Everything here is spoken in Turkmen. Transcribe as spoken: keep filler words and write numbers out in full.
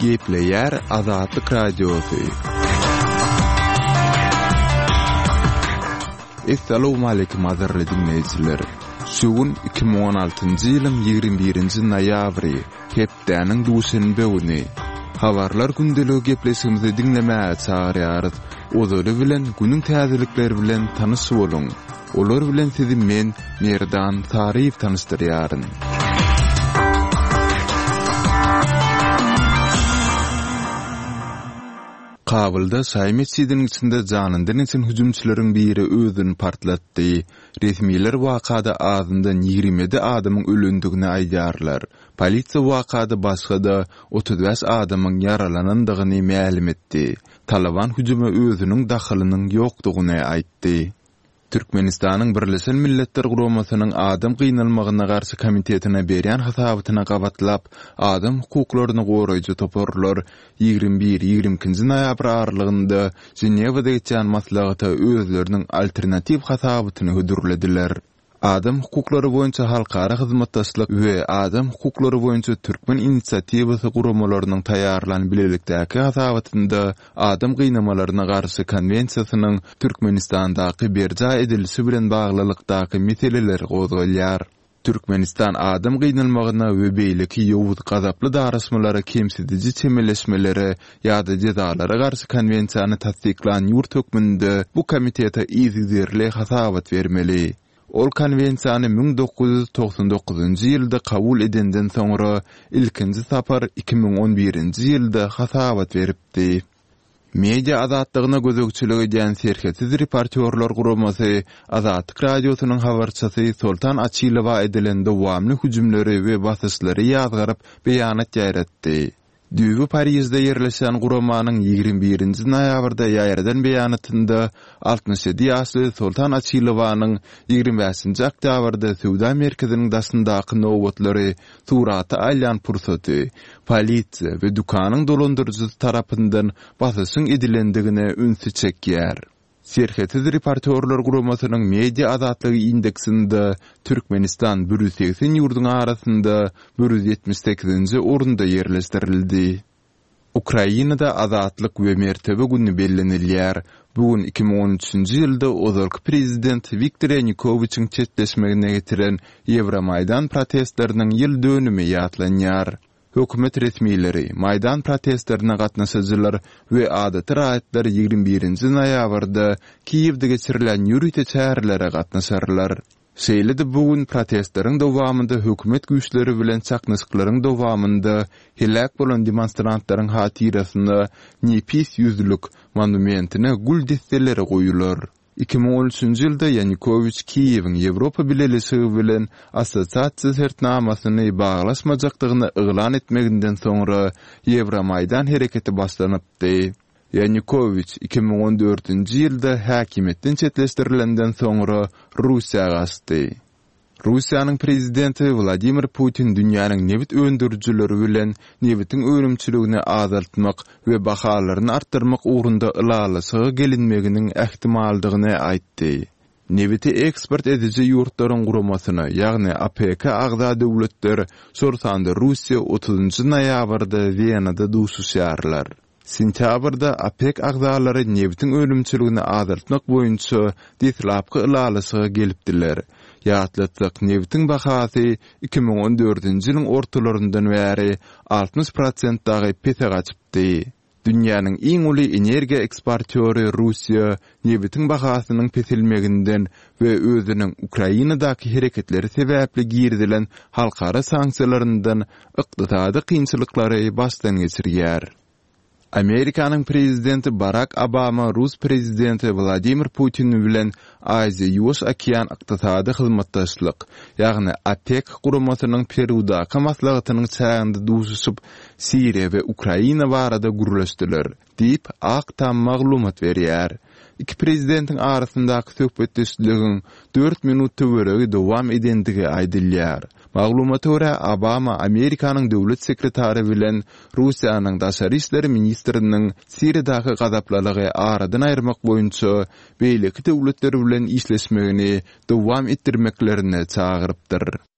Gepleýär Azatlyk Radiosy. Essalawmaleýkim gadyrly diňleýjiler! Şu gün iki müň on altynjy ýylyň ýigrimi birinji noýabry, hepdäniň duşenbe güni. Habarlar gündeligi gepleşigimizi diňlemäge çagyrýarys. Ozaly bilen günüň täzelikleri bilen tanyş boluň. Olar bilen sizi men, Merdan Saryýew tanyşdyrýaryn. Kabulda şaýy metjidiniň içinde janyndan geçen hüjümçileriň biri özüni partlatdy. Resmiler wakada azyndan ýigrimi ýedi adamyň ölendigini aýdýarlar. Polisiýa wakada başga-da otuz bäş adamyň ýaralanandygyny mälim etdi. Talyban hüjüme özüniň dahylynyň ýokdugyny aýtdy. Türkmenistanyň Birleşen Milletler Guramasynyň Adam gynalmagyna garşy komitetine berýän hasabatyna gabatlap, adam hukuklaryny goraýjy toparlar ýigrimi bir, ýigrimi ikinji noýabr aralygynda Ženewada geçýän maslahata özleriniň alternatiw hasabatyny hödürlediler. Adam hukuklary boýunça halkara hyzmatdaşlyk we Adam hukuklary boýunça türkmen inisiatiwasy guramalarynyň taýýarlan bilelikdäki hasabatynda adam gynamalaryna garşy konwensiýasynyň Türkmenistandaky berjaý edilişi bilen baglylykdaky meseleler gozgalýar. Türkmenistan adam gynalmagyna we beýleki ýowuz gazaply daraşmalara kemsidiji çemeleşmelere ýa-da jezalara garşy konwensiýany tassyklan ýurt hökmünde bu komitete yzygiderli hasabat bermeli. Ol konwensiýany müň dokuz ýüz togsan dokuzynjy ýylda kabul edenden soňra ilkinji sapar iki müň on birinji ýylda hasabat beripdi. Media azatlygyna gözegçilik edýän Serhetsiz reportýorlar guramasy Azatlyk Radiosynyň habarçysy Soltan Açylowa edilen dowamly hüjümleri we basyşlary ýazgaryp beýanat ýaýratdy. Düýbi Parižde ýerleşýän guramanyň ýigrimi birinji noýabrda ýaýradan beýanatynda altmyş ýedi ýaşly Soltan Açylowanyň ýigrimi bäşinji oktýabrda söwda merkeziniň daşyndaky nobatlary surata alýan pursaty polisiýa we dükanyň dolandyryjysy tarapyndan basyşyň edilendigine ünsi çekýär. Serhetsiz reportýorlar guramasynyň media azatlygy indeksinde Türkmenistan bir ýüz segsen ýurduň arasynda bir ýüz ýetmiş sekizinji orunda ýerleşdirildi. Ukrainada Azatlyk we mertebe güni bellenilýär. Bu gün iki müň on üçünji ýylda ozalky prezident Wiktor Ýanukowiçiň çetleşmegine getiren Ýewromaýdan protestleriniň ýyl dönümi ýatlanýar. Hökümet resmileri, Maýdan protestlerine gatnaşyjylar we adaty raýatlar ýigrimi birinji noýabrda Kiýewde geçirilen ýörite çärelere gatnaşarlar. Şeýle-de bu gün protestleriň dowamynda hökümet güýçleri bilen çaknyşyklaryň dowamynda heläk bolan demonstrantlaryň hatyrasyna nepis ýüzlük monumentine gül desseleri goýular. Iki müň on üçünji ýylda Ýanukowiç Kiýewiň Ýewropa Bileleşigi bilen assosiasiýa şertnamasyny baglaşmajakdygyny yglan etmeginden soňra Ýewromaýdan hereketi başlanypdy. Ýanukowiç iki müň on dördünji ýylda häkimiýetden çetleşdirilenden soňra Russiýa gaçdy. Russiýanyň prezidenti Wladimir Putin dünýäniň nebit öndürijileri bilen nebitiň önümçiligini azaltmak we bahalaryny artdyrmak ugrunda ylalaşyga gelinmeginiň ähtimaldygyny aýtdy. Nebiti eksport ediji ýurtlaryň guramasyna, ýagny OPEC agza döwletler, şol sanda Russiýa otuzynjy noýabrda Wenada duşuşýarlar. Sentýabrda OPEC agzalary nebitiň önümçiligini azaltmak boýunça deslapky ylalaşyga gelipdiler. Ýatlatsak, nebitiň bahasy iki müň on dördünji ýylyň ortalaryndan bäri altmyş prosent dagy pese gaçypdy. Dünýäniň iň uly energiýa eksportýory Russiýa nebitiň bahasynyň peselmeginden we özüniň Ukrainadaky hereketleri sebäpli girizilen halkara sanksiýalaryndan ykdysady kynçylyklary başdan geçirýär. Amerikanyň prezidenti Barak Obama rus prezidenti Wladimir Putin bilen Aziýa-Ýuwaş okean ykdysady hyzmatdaşlyk, ýagny OPEK guramasynyň Perudaky maslahatynyň çäginde duşuşyp, Siriýa we Ukraina barada gürleşdiler, diýip, Ak Tam maglumat berýär. Iki prezidentiň arasyndaky söhbetdeşligiň dört minut töweregi dowam edendigi aýdylýar. Maglumata görä, Obama Amerikanyň döwlet sekretary bilen Russiýanyň daşary işler ministriniň Siriýadaky gazaplylygy aradan aýyrmak boýunça beýleki döwletler bilen işleşmegini dowam etdirmeklerine çagyrypdyr.